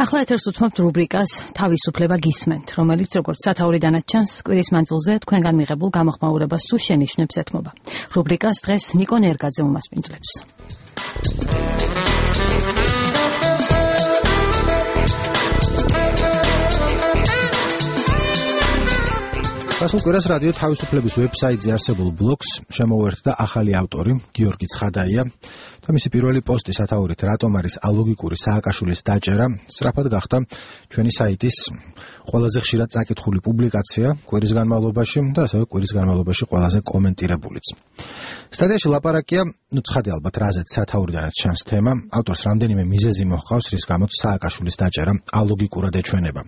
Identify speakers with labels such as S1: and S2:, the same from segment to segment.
S1: ახლა ეთერს უთმობთ რუბრიკას თავისუფლება გისმენთ, რომელიც როგორც სათაურიდანაც ჩანს, კვირის მანძილზე თქვენგან მიღებულ გამოხმაურებას თუ შენიშვნებს ეთმობა. რუბრიკას დღეს ნიკო ნერგაძე უმასპინძლებს.
S2: გასულ კვირას რადიო თავისუფლების ვებსაიტზე არსებულ ბლოგს შემოუერთდა ახალი ავტორი გიორგი ცხადაია და მისი პირველი პოსტი სათაურით რატომ არის ალოგიკური სააკაშვილის დაჭერა სწრაფად გახდა ჩვენი საიტის ყველაზე ხშირად წაკითხული პუბლიკაცია კვირის განმავლობაში და ასევე კვირის განმავლობაში ყველაზე კომენტირებულიც. სტატიაში ლაპარაკია, ცხადი ალბათ რაზეც სათაურიდანაც ჩანს თემა, ავტორს რამდენიმე მიზეზი მოჰყავს, რის გამოც სააკაშვილის დაჭერა ალოგიკურად ეჩვენება.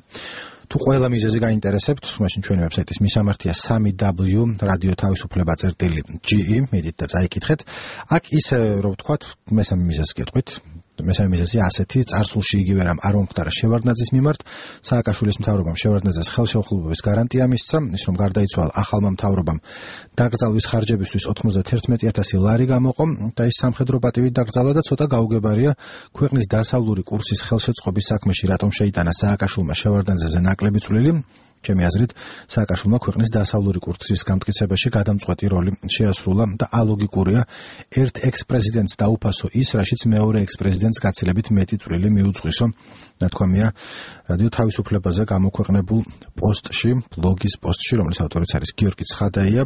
S2: თუ ყველა მიზეზი გაინტერესებთ, მაშინ ჩვენი ვებსაიტის მისამართია 3w radioთავისუფლება.ge, მედით და წაიკითხეთ. აქ ისე რომ ვთქვათ, მესამე მიზეზს გეტყვით. მესამე მიზეზი ასეთი, წარსულში იგივე რამ არ მომხდარა შევარდნაძის მიმართ, სააკაშვილის მთავრობამ შევარდნაძეს ხელშეუხლებლობის გარანტია მისცა, ის რომ გარდაიცვალა ახალმა მთავრობამ დაკრძალვის ხარჯებისთვის 91,000 ლარი გამოყო და ის სამხედრო პატივით დაკრძალა და ცოტა გაუგებარია ქვეყნის დასავლური კურსის ხელშეწყობის საქმეში რატომ შეიტანა სააკაშვილმა შევარდნაძეზე ნაკლები წვლილი. ჩემი აზრით, სააკაშვილმა ქვეყნის დასავლური კურსის გამტკიცებაში გადამწყვეტი როლი შეასრულა და ალოგიკურია ერთ ექს-პრეზიდენტს დაუფასო ის, რაშიც მეორე ექს-პრეზიდენტს გაცილებით მეტი წვლილი მიუძღვისო, ნათქვამია რადიო თავისუფლებაზე გამოქვეყნებულ პოსტში, ბლოგის პოსტში, რომლის ავტორიც არის გიორგი ცხადაია.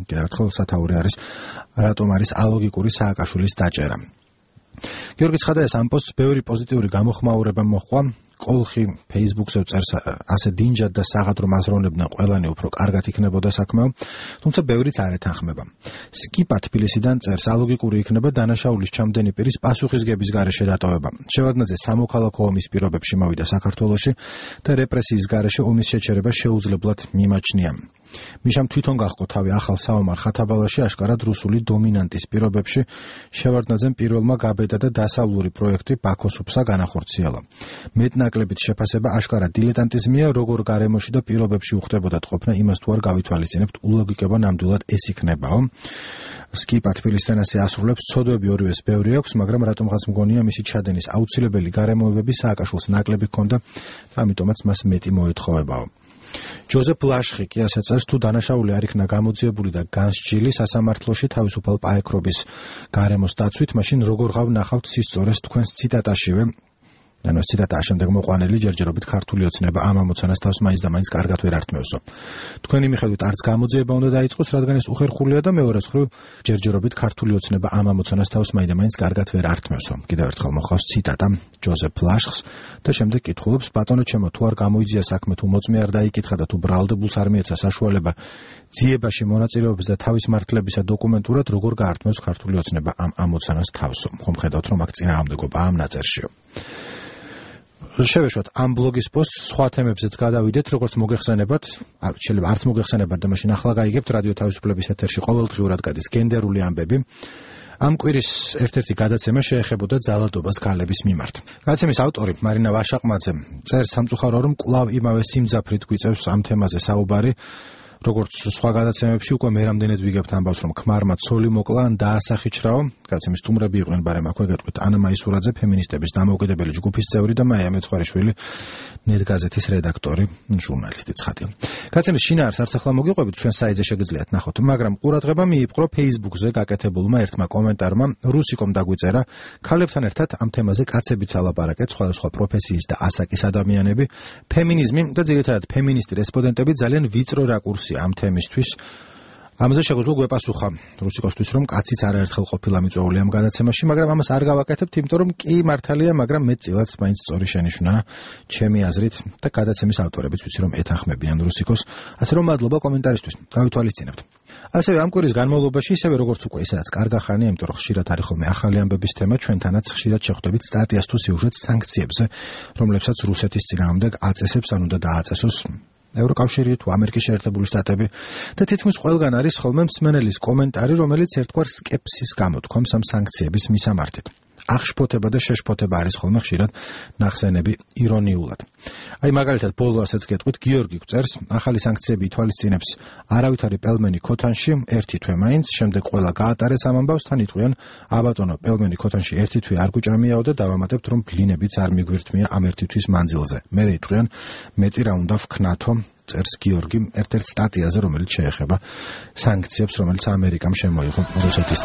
S2: კიდევ ერთხელ სათაური არის რატომ არის ალოგიკური სააკაშვილის დაჭერა. გიორგი ცხადაიას ამ პოსტს ბევრი პოზიტიური გამოხმაურება მოჰყვა. კოლხი Facebook-ზე წერს ასე დინჯად და საღად რომ აზროვნებდნენ ყველანი უფრო კარგად იქნებოდა საქმეო, თუმცა ბევრიც არ ეთანხმება. სკიპა თბილისიდან წერს ალოგიკური იქნება დანაშაულის ჩამდენი პირის პასუხისგების გარეშე დატოვება. შევარდნაძე სამოქალაქო ომის პირობებში მოვიდა საქართველოში და რეპრესიის გარეშე ომის შეჩერება შეუძლებლად მიმაჩნია. მიშამ თვითონ გაჰყო თავი ახალ საომარ ხათაბალაში აშკარად რუსული დომინანტის პირობებში შევარდნაძემ პირველმა გაბედა და დასავლური პროექტი ბაქოსუფსა განახორციელა. მეტნაკლებით შეფასება აშკარად დილეტანტიზმია, როგორ გარემოში და პირობებში უხდებოდა ყოფნა, იმას თუ არ გავითვალისწინებთ, ულოგიკება ნამდვილად ეს იქნებაო. სკიპა თბილისთან ასე ასრულებს, ცოდვები ორივეს ბევრი აქვს, მაგრამ რატომღაც მგონია მისი ჩადენის აუცილებელი გარემოებები სააკაშვილს ნაკლები ჰქონდა და ამიტომაც მას მეტი მოეთხოვებაო. ჯოზეფ ლაშხი კი ასე წერს, თუ დანაშაული არ იქნა გამოძიებული და განსჯილი სასამართლოში თავისუფალ პაექრობის გარემოს დაცვით, მაშინ როგორ ვნახავთ სისწორეს თქვენს ციტატაშივე. ანუ ციტატა შემდეგ მოყვანილი ჯერჯერობით ქართული ოცნება ამ ამოცანას თავს მაინც და მაინც კარგად ვერ ართმევსო. თქვენი მიხედვით არც გამოძიება უნდა დაიწყოს, რადგან ეს უხერხულია და მეორე მხრივ ჯერჯერობით ქართული ოცნება ამ ამოცანას თავს მაინც და მაინც კარგად ვერ ართმევსო. კიდევ ერთხელ მოხავს ციტატა ჯოზეფ ლაშხს და შემდეგ კითხულობს, ბატონო ჩემო, თუ არ გამოიძია საქმე, თუ მოწმე არ დაიკითხა და თუ ბრალდებულს არ მიეცა საშუალება ძიებაში მონაწილეობის და თავის მართლებისა დოკუმენტურად, როგორ გაართმევს ქართული ოცნება ამ ამოცანას თავსო. ხომ ხედავთ, რომ აქ წინააღმდეგობა ამ ნაწერშიო. შევეშვათ ამ ბლოგის პოსტს, სხვა თემებზეც გადავიდეთ, როგორც მოგეხსენებათ, შეიძლება არც მოგეხსენებათ და მაშინ ახლა გაიგებთ, რადიო თავისუფლების ეთერში ყოველდღიურად გადის გენდერული ამბები. ამ კვირის ერთ-ერთი გადაცემა შეეხებოდა ძალადობას ქალების მიმართ. გადაცემის ავტორი მარინა ვაშაყმაძე წერს სამწუხარო, რომ კვლავ იმავე სიმძაფრით გვიწევს ამ თემაზე საუბარი. როგორც სხვა გადაცემებში უკვე მე რამდენად ვიგებთ ამბავს, რომ ქმარმა ცოლი მოკლა ან დაასახიჩრაო. გადაცემის სტუმრები იყვნენ, ბარემ აქვე გეტყვით ანა მაისურაძე, ფემინისტების დამოუკიდებელი ჯგუფის წევრი და მაია მეცხვარიშვილი, ნეტგაზეთის რედაქტორი, ჟურნალისტი ცხადი. გადაცემის შინაარს არც ახლა მოგიყვებით, ჩვენ საიტზე შეგიძლიათ ნახოთ, მაგრამ ყურადღება მიიპყრო Facebook-ზე გაკეთებულმა ერთმა კომენტარმა, რუსიკომ დაგვიწერა, ქალებთან ერთად ამ თემაზე კაცებიც ალაპარაკეთ, სხვადასხვა პროფესიის და ასაკის ადამიანები, ფემინიზმი და ძირითადად ფემინისტი რესპონდენტები ძალიან ვიწრო რაკურსი ამ თემისთვის. ამაზე შეგვიძლია გვეპასუხა რუსიკოსთვის, რომ კაციც არაერთხელ ყოფილა მიწვეული ამ გადაცემაში, მაგრამ ამას არ გავაკეთებთ, იმიტომ რომ კი მართალია, მაგრამ მეტწილად მაინც სწორი შენიშვნა ჩემი აზრით და გადაცემის ავტორებიც ვიცი რომ ეთანხმებიან რუსიკოს, ასე რომ მადლობა კომენტარისთვის. გავითვალისწინებთ. ასევე ამ კვირის განმავლობაში, ისევე როგორც უკვე ისედაც კარგა ხანია, იმიტომ რომ ხშირად არის ხოლმე ახალი ამბების თემა, ჩვენთანაც ხშირად შეხვდებით სტატიას თუ სიუჟეტს სანქციებზე, რომლებსაც რუსეთის წინააღმდეგ აწესებს ან უნდა დააწესოს ევროკავშირი თუ ამერიკის შეერთებული შტატები და თითქმის ყველგან არის ხოლმე მსმენელის კომენტარი, რომელიც ერთგვარ სკეპსის გამოთქვამს ამ სანქციების მისამართით. აღშფოთება და შეშფოთება არის ხოლმე ხშირად ნახსენები ირონიულად. აი მაგალითად ბოლო ასეც გეტყვით, გიორგი გვწერს, ახალი სანქციები ითვალისწინებს არავითარი პელმენი ქოთანში 1 თვე მაინც, შემდეგ ყველა გაატარეს ამ ამბავს, თან იტყვიან, აბატონო, პელმენი ქოთანში 1 თვე არ გვჭამიაო და დავამატებთ, რომ ბლინებიც არ მიგვირთმია ამ 1 თვის მანძილზე. მერე იტყვიან, მეტი რა უნდა ვქნათო, წერს გიორგი ერთ-ერთ სტატიაზე, რომელიც შეეხება სანქციებს, რომელიც ამერიკამ შემოიღო რუსეთის